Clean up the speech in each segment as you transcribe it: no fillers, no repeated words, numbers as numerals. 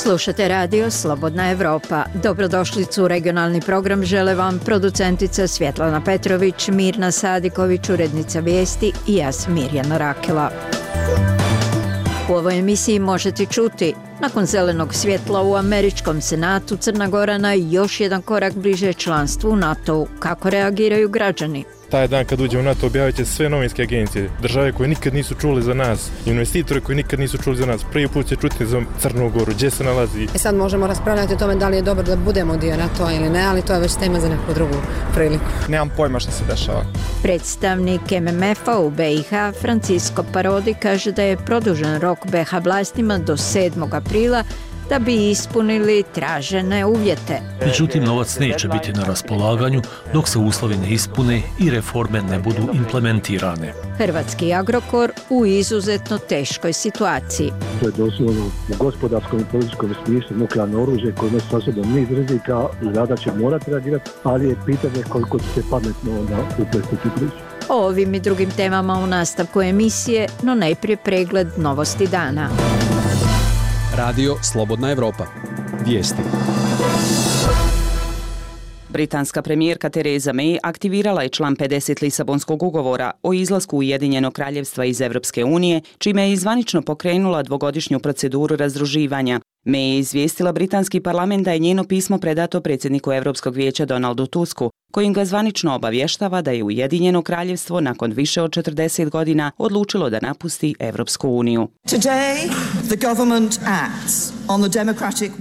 Slušate radio Slobodna Evropa. Dobrodošlicu u regionalni program žele vam producentica Svjetlana Petrović, Mirna Sadiković, urednica vijesti i ja sam Mirjana Rakela. U ovoj emisiji možete čuti: nakon zelenog svjetla u američkom senatu, Crna Gora na još jedan korak bliže članstvu u NATO-u. Kako reagiraju građani? Taj dan kad uđemo u NATO objavit će sve novinske agencije, države koje nikad nisu čuli za nas, investitore koji nikad nisu čuli za nas. Prvi put će čuti za Crnu Goru, gdje se nalazi. Sad možemo raspravljati o tome da li je dobro da budemo dio NATO-a ili ne, ali to je već tema za neku drugu priliku. Nemam pojma što se dešava. Predstavnik MMF-a u BiH, Francisco Parodi, kaže da je produžen rok BiH vlastima do 7. aprila da bi ispunili tražene uvjete. Međutim, novac neće biti na raspolaganju dok se uslovi ne ispune i reforme ne budu implementirane. Hrvatski Agrokor u izuzetno teškoj situaciji. To je doslovno u gospodarskom i političkom smislu nuklearno oružje koje nosi sa sobom niz rizika i Vlada će morati reagirati, ali je pitanje koliko će se pametno onda uplestiti priču. O ovim i drugim temama u nastavku emisije, no najprije pregled novosti dana. Radio Slobodna Evropa. Vijesti. Britanska premijerka Theresa May aktivirala je član 50 Lisabonskog ugovora o izlasku Ujedinjenog kraljevstva iz Europske unije, čime je zvanično pokrenula dvogodišnju proceduru razdruživanja. May je izvijestila britanski parlament da je njeno pismo predato predsjedniku Europskog vijeća Donaldu Tusku, kojim ga zvanično obavještava da je Ujedinjeno kraljevstvo nakon više od 40 godina odlučilo da napusti Europsku uniju.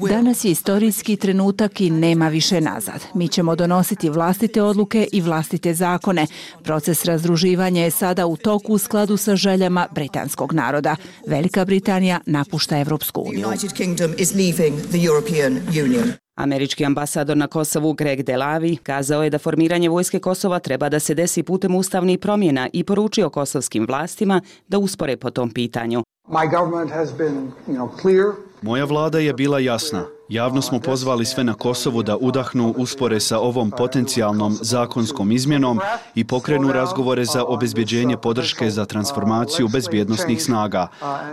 Danas je istorijski trenutak i nema više nazad. Mi ćemo donositi vlastite odluke i vlastite zakone. Proces razdruživanja je sada u toku u skladu sa željama britanskog naroda. Velika Britanija napušta Europsku uniju. Američki ambasador na Kosovu Greg Delavi kazao je da formiranje vojske Kosova treba da se desi putem ustavnih promjena i poručio kosovskim vlastima da uspore po tom pitanju. Moja vlada je bila jasna. Javno smo pozvali sve na Kosovu da udahnu uspore sa ovom potencijalnom zakonskom izmjenom i pokrenu razgovore za obezbjeđenje podrške za transformaciju bezbjednosnih snaga.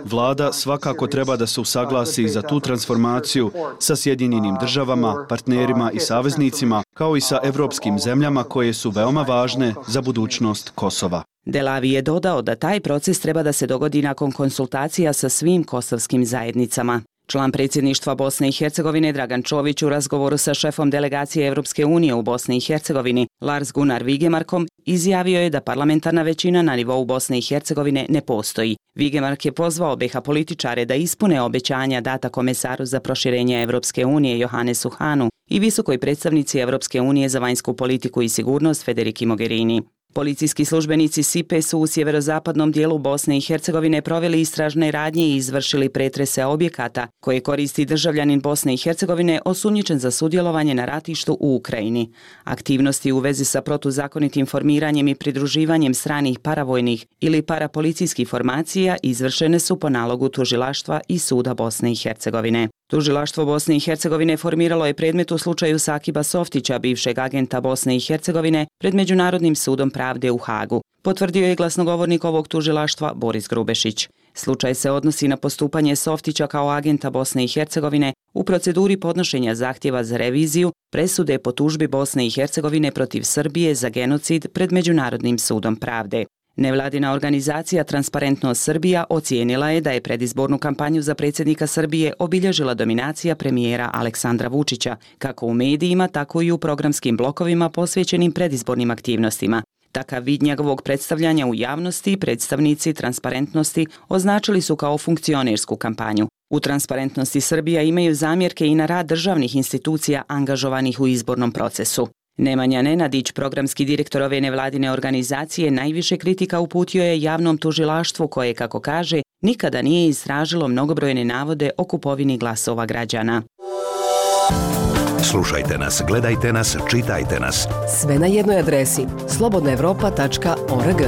Vlada svakako treba da se usaglasi za tu transformaciju sa Sjedinjenim državama, partnerima i saveznicima, kao i sa evropskim zemljama koje su veoma važne za budućnost Kosova. Delavi je dodao da taj proces treba da se dogodi nakon konsultacija sa svim kosovskim zajednicama. Član predsjedništva Bosne i Hercegovine Dragan Čović u razgovoru sa šefom delegacije Europske unije u Bosni i Hercegovini Lars Gunnar Vigemarkom izjavio je da parlamentarna većina na nivou Bosne i Hercegovine ne postoji. Vigemark je pozvao BiH političare da ispune obećanja data komesaru za proširenje Europske unije Johannesu Hahnu i visokoj predstavnici Europske unije za vanjsku politiku i sigurnost Federici Mogherini. Policijski službenici SIPE su u sjeverozapadnom dijelu Bosne i Hercegovine proveli istražne radnje i izvršili pretrese objekata koje koristi državljanin Bosne i Hercegovine osumnjičen za sudjelovanje na ratištu u Ukrajini. Aktivnosti u vezi sa protuzakonitim formiranjem i pridruživanjem stranih paravojnih ili parapolicijskih formacija izvršene su po nalogu tužilaštva i suda Bosne i Hercegovine. Tužilaštvo Bosne i Hercegovine formiralo je predmet u slučaju Sakiba Softića, bivšeg agenta Bosne i Hercegovine, pred Međunarodnim sudom pravde u Hagu. Potvrdio je glasnogovornik ovog tužilaštva Boris Grubešić. Slučaj se odnosi na postupanje Softića kao agenta Bosne i Hercegovine u proceduri podnošenja zahtjeva za reviziju presude po tužbi Bosne i Hercegovine protiv Srbije za genocid pred Međunarodnim sudom pravde. Nevladina organizacija Transparentnost Srbija ocijenila je da je predizbornu kampanju za predsjednika Srbije obilježila dominacija premijera Aleksandra Vučića, kako u medijima, tako i u programskim blokovima posvećenim predizbornim aktivnostima. Takav vid njegovog predstavljanja u javnosti predstavnici Transparentnosti označili su kao funkcionersku kampanju. U Transparentnosti Srbija imaju zamjerke i na rad državnih institucija angažovanih u izbornom procesu. Nemanja Nenadić, programski direktor ove nevladine organizacije, najviše kritika uputio je javnom tužilaštvu koje, kako kaže, nikada nije istražilo mnogobrojne navode o kupovini glasova građana. Slušajte nas, gledajte nas, čitajte nas. Sve na jednoj adresi slobodnaevropa.org.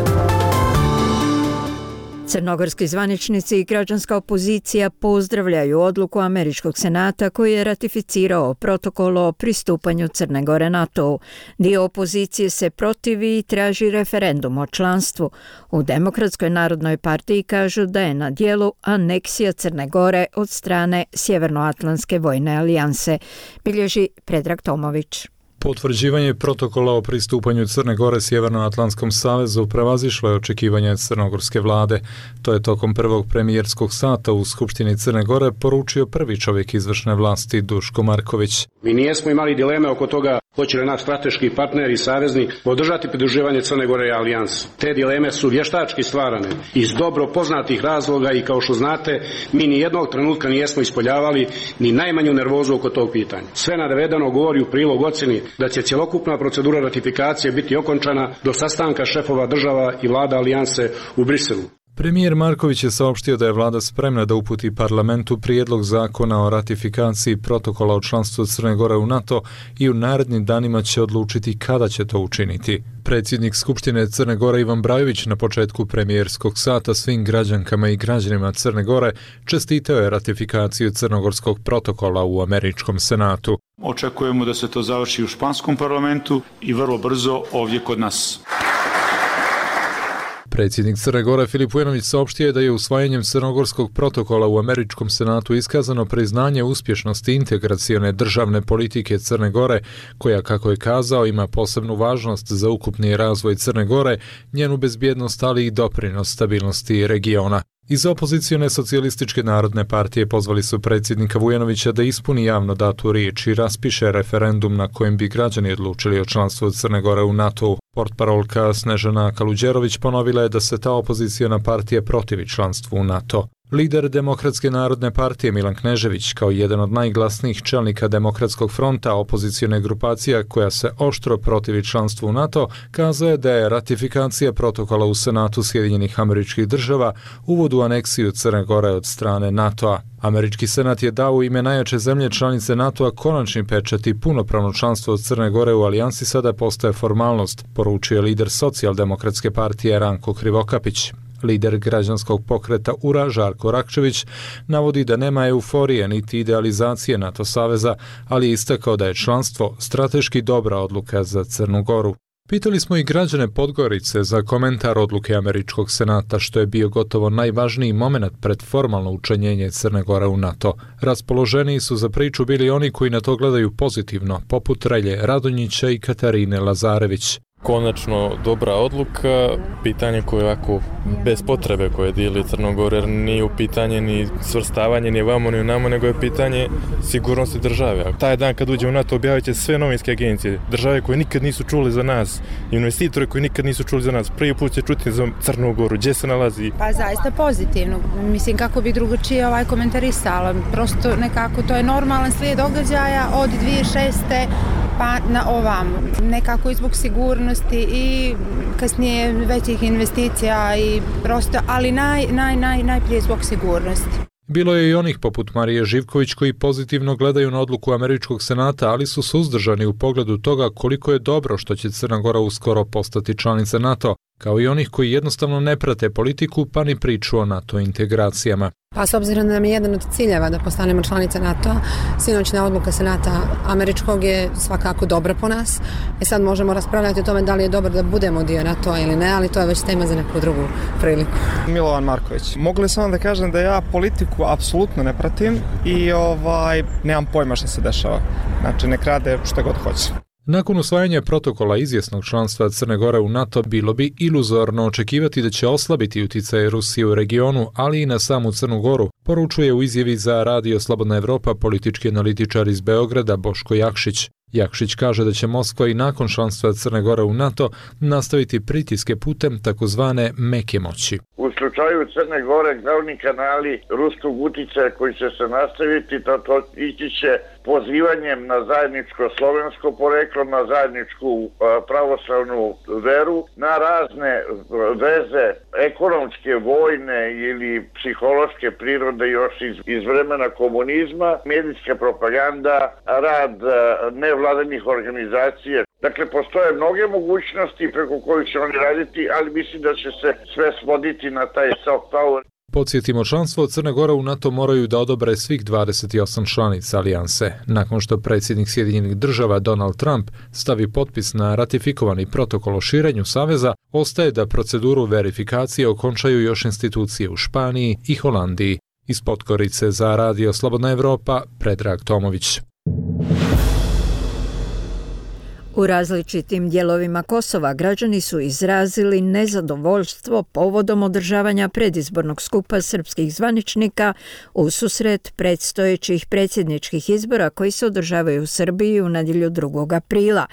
Crnogorski zvaničnici i građanska opozicija pozdravljaju odluku Američkog senata koji je ratificirao protokol o pristupanju Crne Gore NATO-u. Dio opozicije se protivi i traži referendum o članstvu. U Demokratskoj narodnoj partiji kažu da je na dijelu aneksija Crne Gore od strane Sjevernoatlantske vojne alijanse, bilježi Predrag Tomović. Potvrđivanje protokola o pristupanju Crne Gore Sjevernoatlantskom savezu prevazišlo je očekivanja crnogorske vlade. To je tokom prvog premijerskog sata u Skupštini Crne Gore poručio prvi čovjek izvršne vlasti Duško Marković. Mi nijesmo imali dileme oko toga hoće li naš strateški partner i saveznik podržati pridruživanje Crne Gore i alijansi. Te dileme su vještački stvarane iz dobro poznatih razloga i kao što znate mi ni jednog trenutka nijesmo ispoljavali ni najmanju nervozu oko tog pitanja. Sve navedeno govori u prilog ocjeni da će cjelokupna procedura ratifikacije biti okončana do sastanka šefova država i vlada alijanse u Briselu. Premijer Marković je saopštio da je vlada spremna da uputi parlamentu prijedlog zakona o ratifikaciji protokola o članstvu Crne Gore u NATO i u narednim danima će odlučiti kada će to učiniti. Predsjednik Skupštine Crne Gore Ivan Brajović na početku premijerskog sata svim građankama i građanima Crne Gore čestitao je ratifikaciju crnogorskog protokola u Američkom senatu. Očekujemo da se to završi u španskom parlamentu i vrlo brzo ovdje kod nas. Predsjednik Crne Gore Filip Vujanović saopštio je da je usvajanjem crnogorskog protokola u Američkom senatu iskazano priznanje uspješnosti integracione državne politike Crne Gore, koja, kako je kazao, ima posebnu važnost za ukupni razvoj Crne Gore, njenu bezbjednost, ali i doprinos stabilnosti regiona. Iz opozicione socijalističke narodne partije pozvali su predsjednika Vujanovića da ispuni javno datu riječ i raspiše referendum na kojem bi građani odlučili o članstvu Crne Gore u NATO-u. Portparolka Snežana Kaluđerović ponovila je da se ta opoziciona partija protivi članstvu u NATO. Lider Demokratske narodne partije Milan Knežević, kao jedan od najglasnijih čelnika Demokratskog fronta, opozicione grupacija koja se oštro protivi članstvu u NATO, kazao je da je ratifikacija protokola u Senatu Sjedinjenih Američkih Država uvod u aneksiju Crne Gore od strane NATO-a. Američki senat je dao u ime najjače zemlje članice NATO-a konačni pečat i punopravno članstvo od Crne Gore u alijansi sada postaje formalnost, poručio je lider Socijaldemokratske partije Ranko Krivokapić. Lider građanskog pokreta URA Žarko Rakčević navodi da nema euforije niti idealizacije NATO saveza, ali je istakao da je članstvo strateški dobra odluka za Crnu Goru. Pitali smo i građane Podgorice za komentar odluke Američkog senata, što je bio gotovo najvažniji moment pred formalno učlanjenje Crne Gore u NATO. Raspoloženiji su za priču bili oni koji na to gledaju pozitivno, poput Relje Radonjića i Katarine Lazarević. Konačno dobra odluka, pitanje koje ovako bez potrebe koje dijeli Crnogor, jer nije u pitanje ni svrstavanje ni vamo ni namo, nego je pitanje sigurnosti države. Taj dan kad uđe u NATO objavit će sve novinske agencije, države koje nikad nisu čuli za nas, investitore koji nikad nisu čuli za nas, prvi put će čuti za Crnu Goru, gdje se nalazi. Pa zaista pozitivno, mislim kako bi drugačije komentarisala, prosto nekako to je normalan slijed događaja od 2006. pa na ovamo, nekako i zbog sigurnosti i kasnije većih investicija i prosto, ali najprije zbog sigurnosti. Bilo je i onih poput Marije Živković koji pozitivno gledaju na odluku Američkog senata, ali su suzdržani u pogledu toga koliko je dobro što će Crna Gora uskoro postati članica NATO, kao i onih koji jednostavno ne prate politiku pa ni priču o NATO integracijama. Pa s obzirom da nam je jedan od ciljeva da postanemo članica NATO-a, sinoćna odluka Senata Američkog je svakako dobra po nas. Sad možemo raspravljati o tome da li je dobro da budemo dio NATO-a ili ne, ali to je već tema za neku drugu priliku. Milovan Marković. Mogu li samo da kažem da ja politiku apsolutno ne pratim i nemam pojma što se dešava. Znači nek rade šta god hoće. Nakon usvajanja protokola izvjesnog članstva Crne Gore u NATO bilo bi iluzorno očekivati da će oslabiti utjecaj Rusije u regionu, ali i na samu Crnu Goru, poručuje u izjavi za Radio Slobodna Evropa politički analitičar iz Beograda Boško Jakšić. Jakšić kaže da će Moskva i nakon članstva Crne Gore u NATO nastaviti pritiske putem takozvane meke moći. U slučaju Crne Gore glavni kanali ruskog utjecaja koji će se nastaviti, to ići će pozivanjem na zajedničko slovensko poreklo, na zajedničku pravoslavnu veru, na razne veze ekonomske, vojne ili psihološke prirode još iz vremena komunizma, medijska propaganda, rad nevladinih organizacija Dakle, postoje mnoge mogućnosti preko kojih će oni raditi, ali mislim da će se sve svoditi na taj soft power. Podsjetimo, članstvo Crne Gore u NATO moraju da odobre svih 28 članica alijanse. Nakon što predsjednik Sjedinjenih država Donald Trump stavi potpis na ratifikovani protokol o širenju saveza, ostaje da proceduru verifikacije okončaju još institucije u Španiji i Holandiji. Iz Podgorice za Radio Slobodna Evropa, Predrag Tomović. U različitim dijelovima Kosova građani su izrazili nezadovoljstvo povodom održavanja predizbornog skupa srpskih zvaničnika ususret predstojećih predsjedničkih izbora koji se održavaju u Srbiji u nedjelju 2. aprila.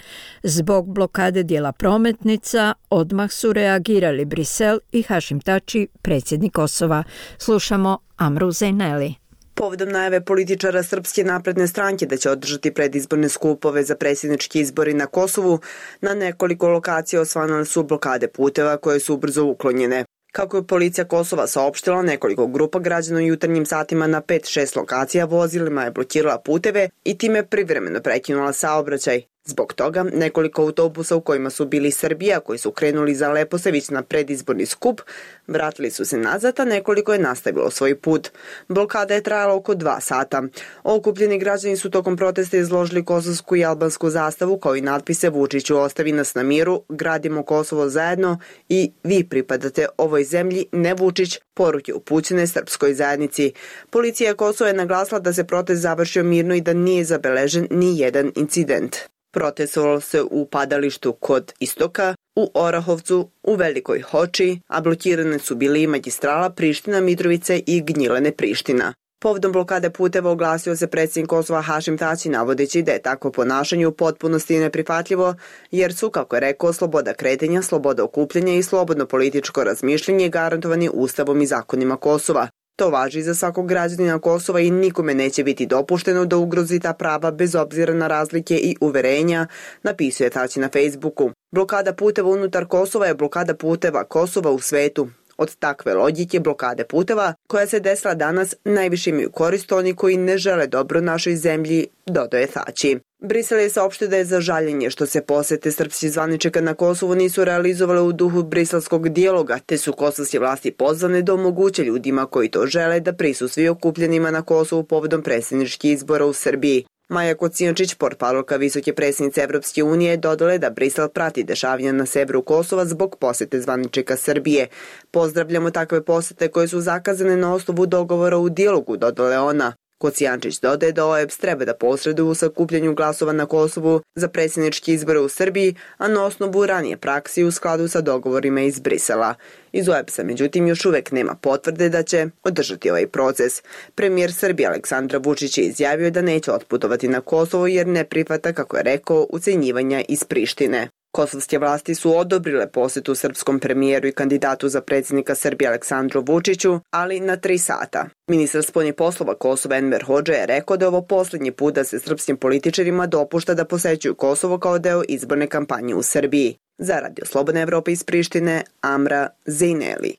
Zbog blokade dijela prometnica odmah su reagirali Brisel i Hašim Tači, predsjednik Kosova. Slušamo Amru Zejneli. Povodom najave političara Srpske napredne stranke da će održati predizborne skupove za predsjednički izbori na Kosovu, na nekoliko lokacija osvanule su blokade puteva koje su ubrzo uklonjene. Kako je policija Kosova saopštila, nekoliko grupa građana u jutarnjim satima na 5-6 lokacija vozilima je blokirala puteve i time privremeno prekinula saobraćaj. Zbog toga, nekoliko autobusa u kojima su bili Srbija, koji su krenuli za Leposavić na predizborni skup, vratili su se nazad, a nekoliko je nastavilo svoj put. Blokada je trajala oko 2 sata. Okupljeni građani su tokom protesta izložili kosovsku i albansku zastavu, kao i natpise Vučiću ostavi nas na miru, gradimo Kosovo zajedno i vi pripadate ovoj zemlji, ne Vučić, poruke upućene srpskoj zajednici. Policija Kosova je naglasila da se protest završio mirno i da nije zabeležen ni jedan incident. Protestovalo se u padalištu kod Istoka, u Orahovcu, u Velikoj Hoči, a blokirane su bili i magistrala Priština, Mitrovice i Gnjilane Priština. Povodom blokade puteva oglasio se predsjednik Kosova Hašim Tači, navodeći da je takvo ponašanje u potpunosti neprihvatljivo, jer su, kako je rekao, sloboda kretanja, sloboda okupljanja i slobodno političko razmišljanje garantovani Ustavom i zakonima Kosova. To važi za svakog građanina Kosova i nikome neće biti dopušteno da ugrozi ta prava bez obzira na razlike i uverenja, napisao je Tači na Facebooku. Blokada puteva unutar Kosova je blokada puteva Kosova u svetu. Od takve logike blokade puteva, koja se desila danas, najviše imaju korist oni koji ne žele dobro našoj zemlji, dodao je Tači. Brisel je saopštio da je za žaljenje što se posete srpskih zvaničnika na Kosovu nisu realizovale u duhu briselskog dijaloga, te su kosovske vlasti pozvane da omoguće ljudima koji to žele da prisustvuju okupljenima na Kosovu povodom predsjedničkih izbora u Srbiji. Maja Kocijančić, portparolka visoke predsjednice Evropske unije, dodala je da Brisel prati dešavanja na severu Kosova zbog posete zvaničnika Srbije. Pozdravljamo takve posete koje su zakazane na osnovu dogovora u dijalogu, dodala je ona. Kocijančić dodaje da OEBS treba da posreduju u sakupljanju glasova na Kosovu za predsjedničke izbore u Srbiji, a na osnovu ranije praksi u skladu sa dogovorima iz Brisela. Iz OEBS-a, međutim, još uvek nema potvrde da će održati ovaj proces. Premijer Srbije Aleksandar Vučić je izjavio da neće otputovati na Kosovo jer ne prihvata, kako je rekao, ucenjivanja iz Prištine. Kosovske vlasti su odobrile posetu srpskom premijeru i kandidatu za predsjednika Srbije Aleksandru Vučiću, ali na 3 sata. Ministar spoljnih poslova Kosova Enver Hodža je rekao da je ovo posljednji put da se srpskim političarima dopušta da posećuju Kosovo kao deo izborne kampanje u Srbiji. Za Radio Slobodna Evropa iz Prištine, Amra Zejneli.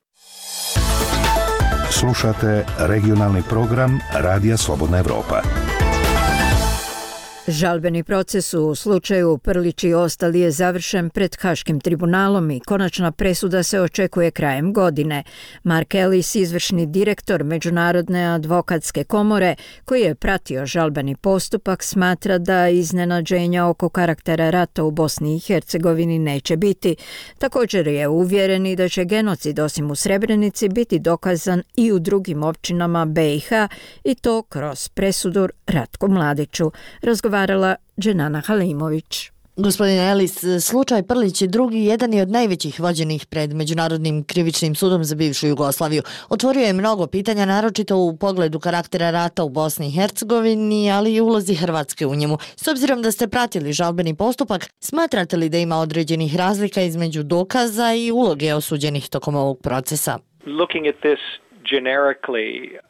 Slušate regionalni program Radija Slobodna Evropa. Žalbeni proces u slučaju Prlić i ostali je završen pred Haškim tribunalom i konačna presuda se očekuje krajem godine. Mark Ellis, izvršni direktor Međunarodne advokatske komore, koji je pratio žalbeni postupak, smatra da iznenađenja oko karaktera rata u Bosni i Hercegovini neće biti. Također je uvjeren i da će genocid osim u Srebrenici biti dokazan i u drugim općinama BiH i to kroz presudu Ratku Mladiću. Razgovarala Dženana Halimović. Gospodine Ellis, slučaj Prlić je drugi, jedan je od najvećih vođenih pred Međunarodnim krivičnim sudom za bivšu Jugoslaviju. Otvorio je mnogo pitanja, naročito u pogledu karaktera rata u Bosni i Hercegovini, ali i ulozi Hrvatske u njemu. S obzirom da ste pratili žalbeni postupak, smatrate li da ima određenih razlika između dokaza i uloge osuđenih tokom ovog procesa? Looking at this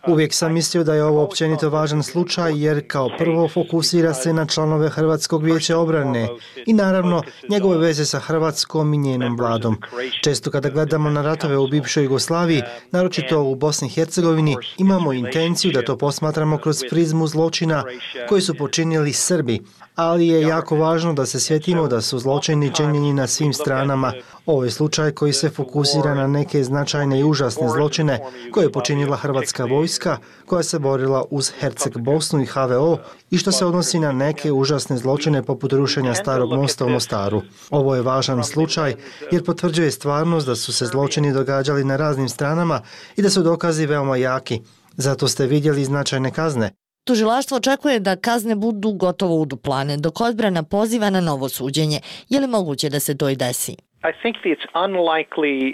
Uvijek sam mislio da je ovo općenito važan slučaj jer kao prvo fokusira se na članove Hrvatskog vijeća obrane i naravno njegove veze sa Hrvatskom i njenom vladom. Često kada gledamo na ratove u bivšoj Jugoslaviji, naročito u Bosni i Hercegovini, imamo intenciju da to posmatramo kroz prizmu zločina koji su počinili Srbi, ali je jako važno da se sjetimo da su zločini činjeni na svim stranama. Ovo je slučaj koji se fokusira na neke značajne i užasne zločine koje je počinila hrvatska vojska koja se borila uz Herceg Bosnu i HVO i što se odnosi na neke užasne zločine poput rušenja Starog mosta u Mostaru. Ovo je važan slučaj jer potvrđuje stvarnost da su se zločini događali na raznim stranama i da su dokazi veoma jaki. Zato ste vidjeli značajne kazne. Tužilaštvo očekuje da kazne budu gotovo uduplane, dok odbrana poziva na novo suđenje. Je li moguće da se to i desi?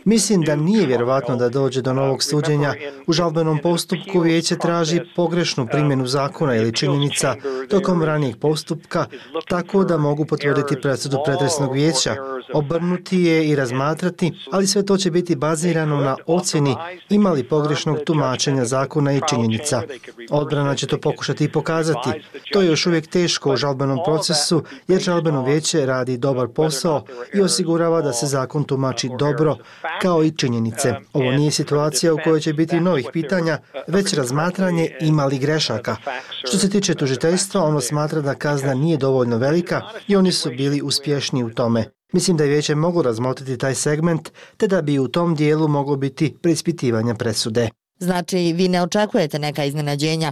Mislim da nije vjerovatno da dođe do novog suđenja. U žalbenom postupku vijeće traži pogrešnu primjenu zakona ili činjenica tokom ranijeg postupka, tako da mogu potvrditi presudu pretresnog vijeća, obrnuti je i razmatrati, ali sve to će biti bazirano na ocjeni ima li pogrešnog tumačenja zakona i činjenica. Odbrana će to pokušati i pokazati. To je još uvijek teško u žalbenom procesu jer žalbeno vijeće radi dobar posao i osigurava da se zakon tumači dobro, kao i činjenice. Ovo nije situacija u kojoj će biti novih pitanja, već razmatranje ima li grešaka. Što se tiče tužiteljstva, ono smatra da kazna nije dovoljno velika i oni su bili uspješni u tome. Mislim da je vijeće moglo razmotriti taj segment, te da bi u tom dijelu moglo biti preispitivanja presude. Znači, vi ne očekujete neka iznenađenja?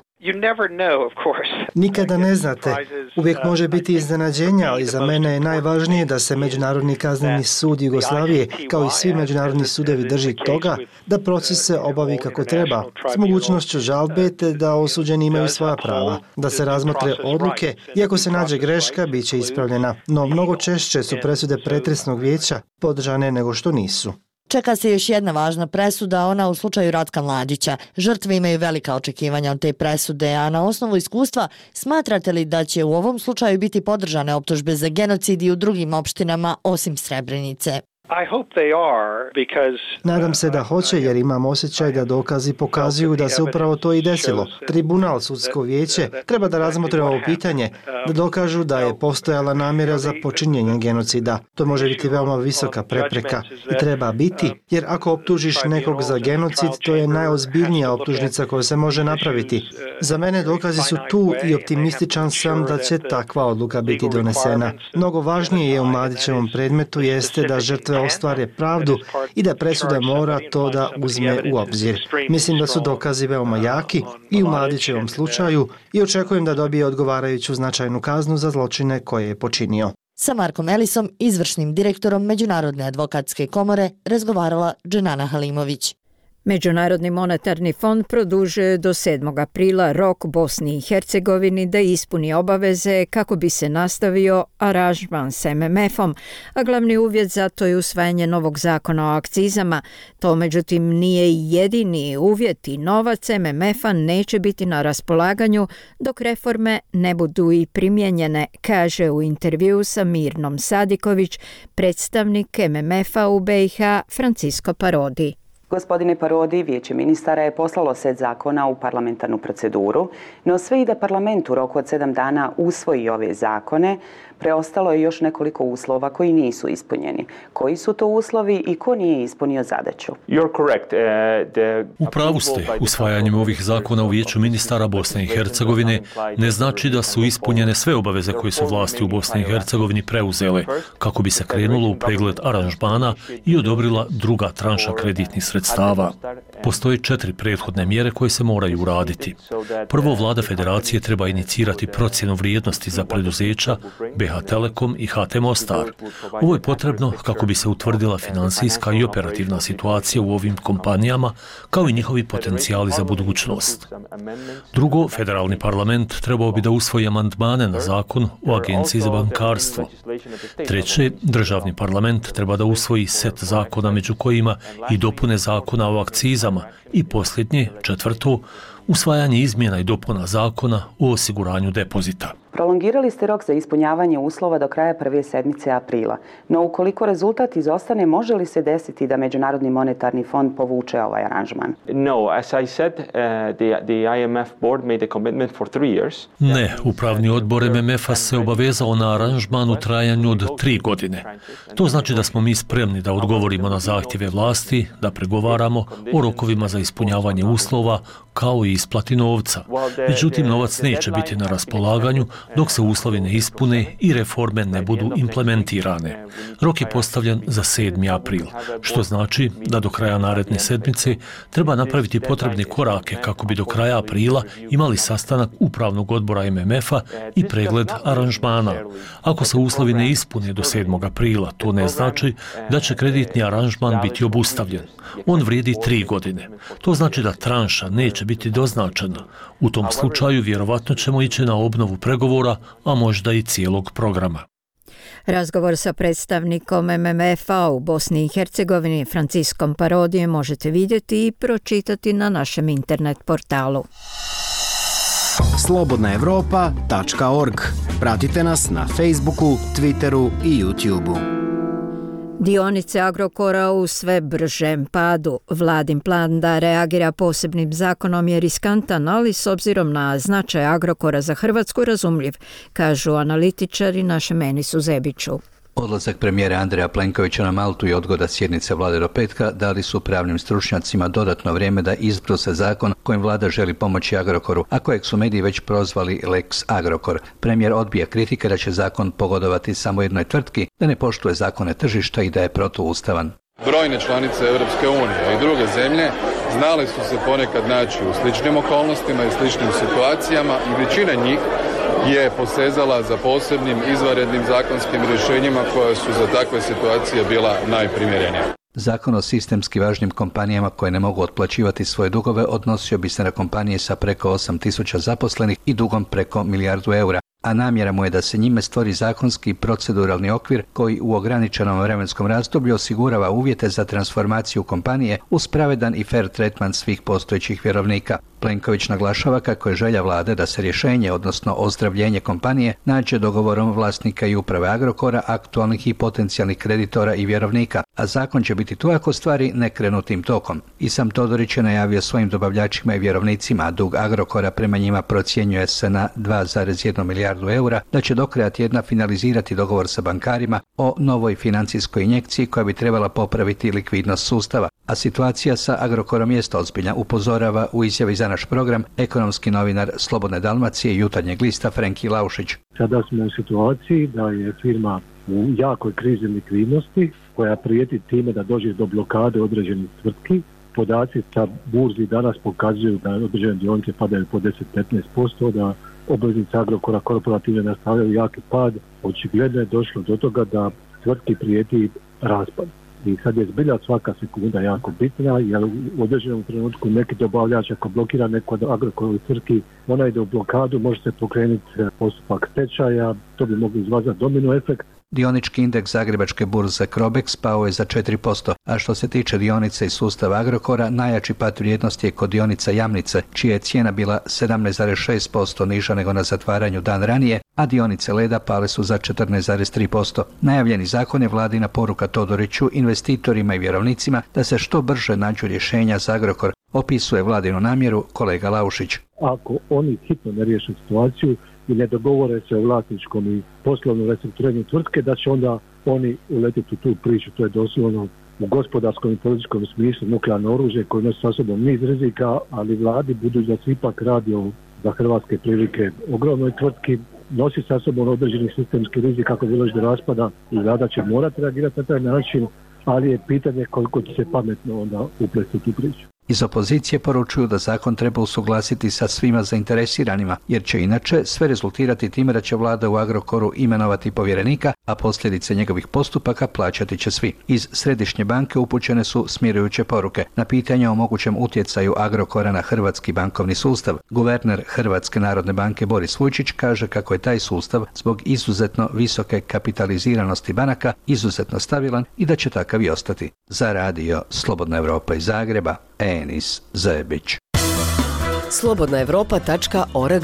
Nikada ne znate. Uvijek može biti iznenađenja, ali za mene je najvažnije da se Međunarodni kazneni sud Jugoslavije, kao i svi međunarodni sudovi, drži toga da proces se obavi kako treba, s mogućnošću žalbe te da osuđeni imaju svoja prava, da se razmotre odluke i ako se nađe greška, bit će ispravljena. No mnogo češće su presude pretresnog vijeća podržane nego što nisu. Čeka se još jedna važna presuda, ona u slučaju Ratka Mladića. Žrtve imaju velika očekivanja od te presude, a na osnovu iskustva smatrate li da će u ovom slučaju biti podržane optužbe za genocid i u drugim opštinama osim Srebrenice? Nadam se da hoće jer imam osjećaj da dokazi pokazuju da se upravo to i desilo. Tribunal, sudsko vijeće, treba da razmotre ovo pitanje, da dokažu da je postojala namjera za počinjenje genocida. To može biti veoma visoka prepreka i treba biti, jer ako optužiš nekog za genocid, to je najozbiljnija optužnica koja se može napraviti. Za mene dokazi su tu i optimističan sam da će takva odluka biti donesena. Mnogo važnije je u Mladićevom predmetu jeste da žrtve ostvare pravdu i da presuda mora to da uzme u obzir. Mislim da su dokazi veoma jaki i u Mladićevom slučaju i očekujem da dobije odgovarajuću značajnu kaznu za zločine koje je počinio. Sa Markom Elisom, izvršnim direktorom Međunarodne advokatske komore, razgovarala Dženana Halimović. Međunarodni monetarni fond produžuje do 7. aprila rok Bosni i Hercegovini da ispuni obaveze kako bi se nastavio aranžman s MMF-om, a glavni uvjet za to je usvajanje novog zakona o akcizama. To međutim nije jedini uvjet i novac MMF-a neće biti na raspolaganju dok reforme ne budu i primijenjene, kaže u intervju sa Mirnom Sadiković predstavnik MMF-a u BiH Francisco Parodi. Gospodine Parodi, Vijeće ministara je poslalo set zakona u parlamentarnu proceduru, no sve i da parlament u roku od 7 dana usvoji ove zakone, preostalo je još nekoliko uslova koji nisu ispunjeni. Koji su to uslovi i ko nije ispunio zadaću? U pravu ste, usvajanjem ovih zakona u Vijeću ministara Bosne i Hercegovine ne znači da su ispunjene sve obaveze koje su vlasti u Bosni i Hercegovini preuzele, kako bi se krenulo u pregled aranžmana i odobrila druga tranša kreditnih sredstava. Postoje 4 prethodne mjere koje se moraju uraditi. Prvo, vlada federacije treba inicirati procjenu vrijednosti za preduzeća BH Telekom i HT Mostar. Ovo je potrebno kako bi se utvrdila finansijska i operativna situacija u ovim kompanijama, kao i njihovi potencijali za budućnost. Drugo, federalni parlament trebao bi da usvoji amandmane na zakon o Agenciji za bankarstvo. Treće, državni parlament treba da usvoji set zakona među kojima i dopune zakona o akcizama. I posljednje, četvrto, usvajanje izmjena i dopuna zakona o osiguranju depozita. Prolongirali ste rok za ispunjavanje uslova do kraja prve sedmice aprila, no ukoliko rezultat izostane, može li se desiti da Međunarodni monetarni fond povuče ovaj aranžman? Ne, upravni odbor MMF-a se obavezao na aranžman u trajanju od 3 godine. To znači da smo mi spremni da odgovorimo na zahtjeve vlasti, da pregovaramo o rokovima za ispunjavanje uslova, kao i isplati novca. Međutim, novac neće biti na raspolaganju dok se uslovi ne ispune i reforme ne budu implementirane. Rok je postavljen za 7. april, što znači da do kraja naredne sedmice treba napraviti potrebne korake kako bi do kraja aprila imali sastanak upravnog odbora MMF-a i pregled aranžmana. Ako se uslovi ne ispune do 7. aprila, to ne znači da će kreditni aranžman biti obustavljen. On vrijedi 3 godine. To znači da tranša neće biti doznačena. U tom slučaju vjerovatno ćemo ići na obnovu pregovora, a možda i cijelog programa. Razgovor sa predstavnikom MMF-a u Bosni i Hercegovini Franciskom Parodijem možete vidjeti i pročitati na našem internet portalu. Slobodnaevropa.org. Pratite nas na Facebooku, Twitteru i YouTubeu. Dionice Agrokora u sve bržem padu. Vladin plan da reagira posebnim zakonom je riskantan, ali s obzirom na značaj Agrokora za Hrvatsku razumljiv, kažu analitičari našem Enisu Zebiću. Odlazak premijera Andreja Plenkovića na Maltu i odgoda sjednice vlade do petka dali su pravnim stručnjacima dodatno vrijeme da izbruse zakon kojim vlada želi pomoći Agrokoru, a kojeg su mediji već prozvali Lex Agrokor. Premijer odbija kritike da će zakon pogodovati samo jednoj tvrtki, da ne poštuje zakone tržišta i da je protuustavan. Brojne članice Europske unije i druge zemlje znali su se ponekad naći u sličnim okolnostima i sličnim situacijama i većina njih je posezala za posebnim izvanrednim zakonskim rješenjima koja su za takve situacije bila najprimjerenija. Zakon o sistemski važnim kompanijama koje ne mogu otplaćivati svoje dugove odnosio bi se na kompanije sa preko 8.000 zaposlenih i dugom preko 1 milijardu eura, a namjera mu je da se njime stvori zakonski i proceduralni okvir koji u ograničenom vremenskom razdoblju osigurava uvjete za transformaciju kompanije uz pravedan i fair tretman svih postojećih vjerovnika. Plenković naglašava kako je želja vlade da se rješenje, odnosno ozdravljenje kompanije, nađe dogovorom vlasnika i uprave Agrokora, aktualnih i potencijalnih kreditora i vjerovnika, a zakon će biti tu ako stvari ne krenu tim tokom. I sam Todorić je najavio svojim dobavljačima i vjerovnicima, a dug Agrokora prema njima procjenjuje se na 2,1 milijardu eura, da će do kraja tjedna finalizirati dogovor sa bankarima o novoj financijskoj injekciji koja bi trebala popraviti likvidnost sustava. A situacija sa Agrokorom jest ozbiljna, upozorava u izjavi za naš program ekonomski novinar Slobodne Dalmacije i Jutarnjeg lista Frenki Laušić. Sada smo u situaciji da je firma u jakoj krizi likvidnosti koja prijeti time da dođe do blokade određenih tvrtki. Podaci sa burzi danas pokazuju da određene dionice padaju po 10-15%, da obveznice Agrokora korporativne nastavljaju jaki pad. Očigledno je došlo do toga da tvrtki prijeti raspad. I sad je zbilja svaka sekunda jako bitna, jer u određenom trenutku neki dobavljač ako blokira neko od Agrokorovih tvrtki, ona ide u blokadu, može se pokrenuti postupak stečaja, to bi mogli izvazati domino efekt. Dionički indeks Zagrebačke burze Crobex pao je za 4%, a što se tiče dionice iz sustava Agrokora, najjači pad vrijednosti je kod dionica Jamnice, čija je cijena bila 17,6% niža nego na zatvaranju dan ranije, a dionice Leda pale su za 14,3%. Najavljeni zakon je vladina poruka Todoriću, investitorima i vjerovnicima da se što brže nađu rješenja za Agrokor, opisuje vladinu namjeru kolega Laušić. Ako oni hitno ne riješe situaciju i ne dogovore se o vlasničkom i poslovnom restrukturiranju tvrtke, da će onda oni uletiti u tu priču. To je doslovno u gospodarskom i političkom smislu nuklearno oružje koje nosi sa sobom niz rizika, ali vladi, budući da se ipak radi o za hrvatske prilike ogromnoj tvrtki, nosi sa sobom određeni sistemski rizik kako bi doći do raspada i vlada će morati reagirati na taj način, ali je pitanje koliko će se pametno onda uplesti tu priču. Iz opozicije poručuju da zakon treba usuglasiti sa svima zainteresiranima, jer će inače sve rezultirati time da će vlada u Agrokoru imenovati povjerenika, a posljedice njegovih postupaka plaćati će svi. Iz Središnje banke upućene su smirujuće poruke. Na pitanje o mogućem utjecaju Agrokora na hrvatski bankovni sustav, guverner Hrvatske narodne banke Boris Vujčić kaže kako je taj sustav zbog izuzetno visoke kapitaliziranosti banaka izuzetno stabilan i da će takav i ostati. Za radio Slobodna Evropa iz Zagreba, Enis Zebić. Slobodnaevropa.org.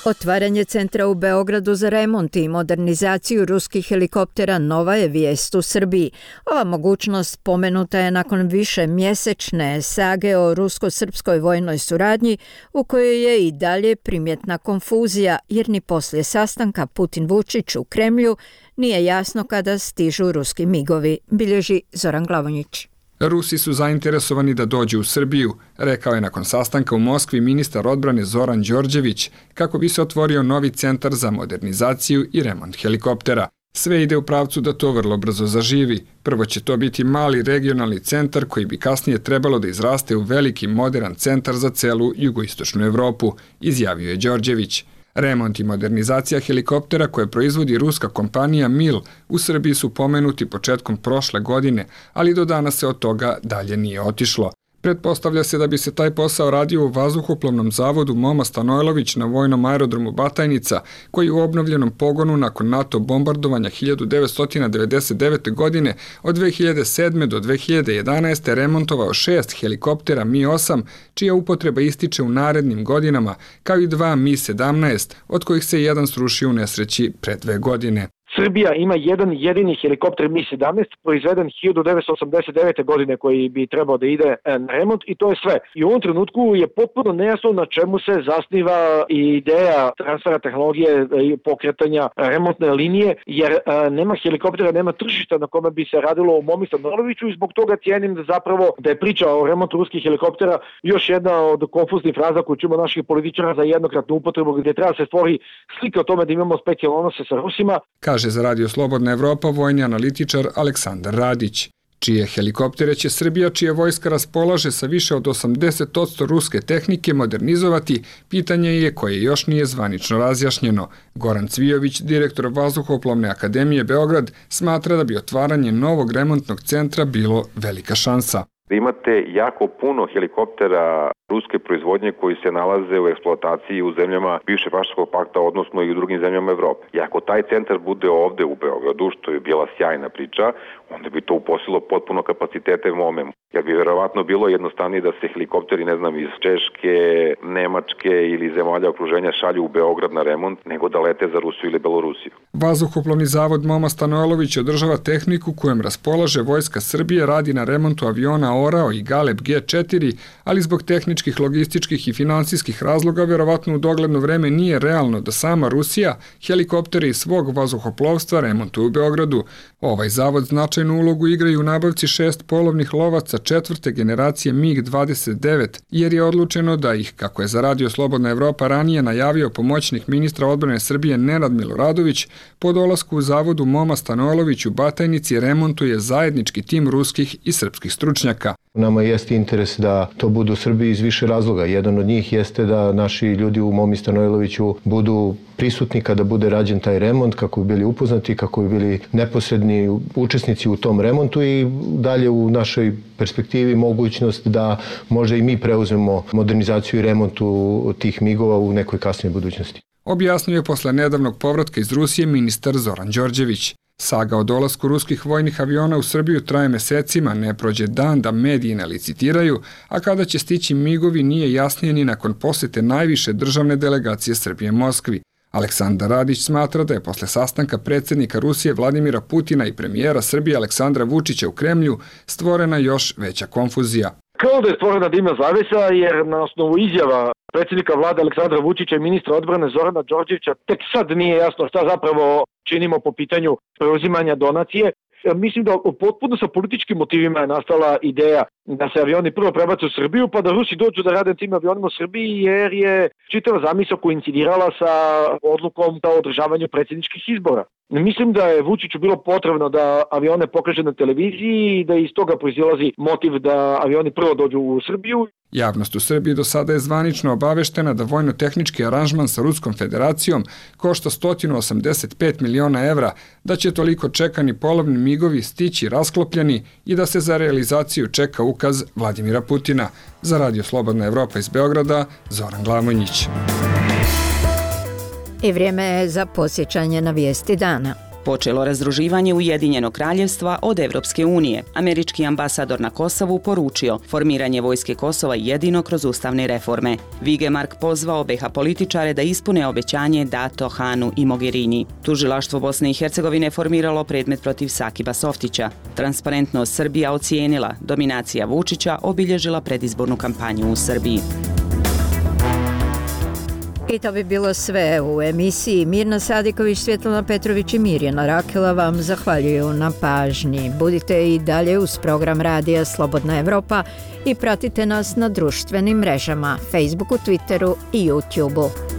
Otvaranje centra u Beogradu za remont i modernizaciju ruskih helikoptera nova je vijest u Srbiji. Ova mogućnost pomenuta je nakon više mjesečne sage o rusko-srpskoj vojnoj suradnji u kojoj je i dalje primjetna konfuzija jer ni poslije sastanka Putin-Vučić u Kremlju nije jasno kada stižu ruski migovi, bilježi Zoran Glavonjić. Rusi su zainteresovani da dođu u Srbiju, rekao je nakon sastanka u Moskvi ministar odbrane Zoran Đorđević, kako bi se otvorio novi centar za modernizaciju i remont helikoptera. Sve ide u pravcu da to vrlo brzo zaživi. Prvo će to biti mali regionalni centar koji bi kasnije trebalo da izraste u veliki modern centar za celu jugoistočnu Evropu, izjavio je Đorđević. Remont i modernizacija helikoptera koje proizvodi ruska kompanija MIL u Srbiji su pomenuti početkom prošle godine, ali do danas se od toga dalje nije otišlo. Pretpostavlja se da bi se taj posao radio u vazduhoplovnom zavodu Moma Stanojlović na vojnom aerodromu Batajnica, koji u obnovljenom pogonu nakon NATO bombardovanja 1999. godine od 2007. do 2011. remontovao 6 helikoptera Mi-8, čija upotreba ističe u narednim godinama, kao i 2 Mi-17, od kojih se jedan srušio u nesreći pre 2 godine. Srbija ima jedan jedini helikopter Mi-17 proizveden 1989. godine koji bi trebao da ide na remont i to je sve. I u ovom trenutku je potpuno nejasno na čemu se zasniva ideja transfera tehnologije i pokretanja remontne linije, jer nema helikoptera, nema tržišta na kome bi se radilo u Momi Stanojloviću i zbog toga cijenim da je priča o remontu ruskih helikoptera još jedna od konfuznih fraza koju čujemo naših političara za jednokratnu upotrebu gdje treba se stvori slika o tome da imamo specijalne odnose sa Rusima. Kaže za Radio Slobodna Evropa vojni analitičar Aleksandar Radić. Čije helikoptere će Srbija, čija vojska raspolaže sa više od 80% ruske tehnike, modernizovati, pitanje je koje još nije zvanično razjašnjeno. Goran Cvijović, direktor Vazduhoplovne akademije Beograd, smatra da bi otvaranje novog remontnog centra bilo velika šansa. Imate jako puno helikoptera ruske proizvodnje koji se nalaze u eksploataciji u zemljama bivše Varšavskog pakta, odnosno i u drugim zemljama Evrope. I ako taj centar bude ovde u Beogradu, što je bila sjajna priča, onda bi to uposlilo potpuno kapacitete MOME. Jer bi verovatno bilo jednostavnije da se helikopteri, iz Češke, Nemačke ili zemalja okruženja šalju u Beograd na remont, nego da lete za Rusiju ili Belorusiju. Vazduhoplovni zavod Moma Stanojlović održava tehniku kojom raspolaže Vojska Srbije, radi na remontu aviona Orao i Galeb G4, ali zbog tehničkih, logističkih i finansijskih razloga verovatno u dogledno vreme nije realno da sama Rusija helikoptere iz svog vazduhoplovstva remontuje u Beogradu. Ovaj zavod značajnu ulogu igra i u nabavci 6 polovnih lovaca 4. generacije MiG-29, jer je odlučeno da ih, kako je za Radio Slobodna Evropa ranije najavio pomoćnik ministra odbrane Srbije Nenad Miloradović, po dolasku u zavodu Moma Stanojlović u Batajnici remontuje zajednički tim ruskih i srpskih stručnjaka. Nama jeste interes da to bude u Srbiji iz više razloga. Jedan od njih jeste da naši ljudi u Momi Stanojloviću budu prisutni kada bude rađen taj remont, kako bi bili upoznati, kako bi bili neposredni učesnici u tom remontu i dalje u našoj perspektivi mogućnost da možda i mi preuzmemo modernizaciju i remontu tih migova u nekoj kasnijoj budućnosti. Objasnio je posle nedavnog povratka iz Rusije ministar Zoran Đorđević. Saga o dolasku ruskih vojnih aviona u Srbiju traje mesecima, ne prođe dan da mediji ne licitiraju, a kada će stići migovi nije jasnije ni nakon posete najviše državne delegacije Srbije Moskvi. Aleksandar Radić smatra da je posle sastanka predsjednika Rusije Vladimira Putina i premijera Srbije Aleksandra Vučića u Kremlju stvorena još veća konfuzija. Kao da je stvorena dimna zavesa jer na osnovu izjava predsjednika vlade Aleksandra Vučića i ministra odbrane Zorana Đorđevića tek sad nije jasno šta zapravo činimo po pitanju preuzimanja donacije. Mislim da potpuno sa političkim motivima je nastala ideja da se avioni prvo prebace u Srbiju pa da Rusi dođu da rade tim avionima u Srbiji jer je čitava zamisao koincidirala sa odlukom o održavanju predsjedničkih izbora. Mislim da je Vučiću bilo potrebno da avione pokaže na televiziji i da iz toga proizilazi motiv da avioni prvo dođu u Srbiju. Javnost u Srbiji do sada je zvanično obaveštena da vojno-tehnički aranžman sa Ruskom federacijom košta 185 miliona evra, da će toliko čekani polovni migovi stići rasklopljeni i da se za realizaciju čeka ukaz Vladimira Putina. Za Radio Slobodna Evropa iz Beograda, Zoran Glavonjić. I vrijeme je za podsjećanje na vijesti dana. Počelo razdruživanje Ujedinjenog kraljevstva od Evropske unije. Američki ambasador na Kosovu poručio formiranje vojske Kosova jedino kroz ustavne reforme. Vigemark pozvao BiH političare da ispune obećanje dato Hanu i Mogherini. Tužilaštvo Bosne i Hercegovine formiralo predmet protiv Sakiba Softića. Transparentnost Srbija ocijenila, dominacija Vučića obilježila predizbornu kampanju u Srbiji. I to bi bilo sve u emisiji. Mirna Sadiković, Svjetlana Petrović i Mirjana Rakela vam zahvaljuju na pažnji. Budite i dalje uz program Radija Slobodna Evropa i pratite nas na društvenim mrežama, Facebooku, Twitteru i YouTubeu.